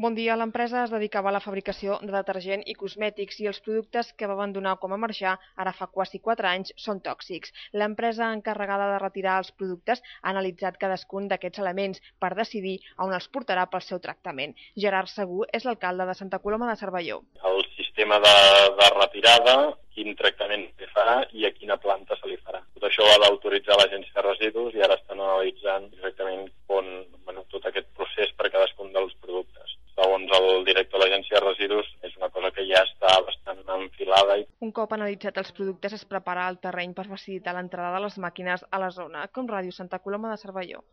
Bon dia, l'empresa es dedicava a la fabricació de detergent i cosmètics i els productes que va abandonar com a marxar ara fa quasi 4 anys són tòxics. L'empresa encarregada de retirar els productes ha analitzat cadascun d'aquests elements per decidir on els portarà pel seu tractament. Gerard Segú és l'alcalde de Santa Coloma de Cervelló. El sistema de retirada, quin tractament se farà i a quina planta se li farà. Tot això ho ha d'autoritzar l'Agència de Residus i ara estan analitzant exactament tot aquest procés per cadascun dels productes. Segons el director de l'Agència de Residus, és una cosa que ja està bastant enfilada. Un cop analitzat els productes, es prepara el terreny per facilitar l'entrada de les màquines a la zona, com Ràdio Santa Coloma de Cervelló.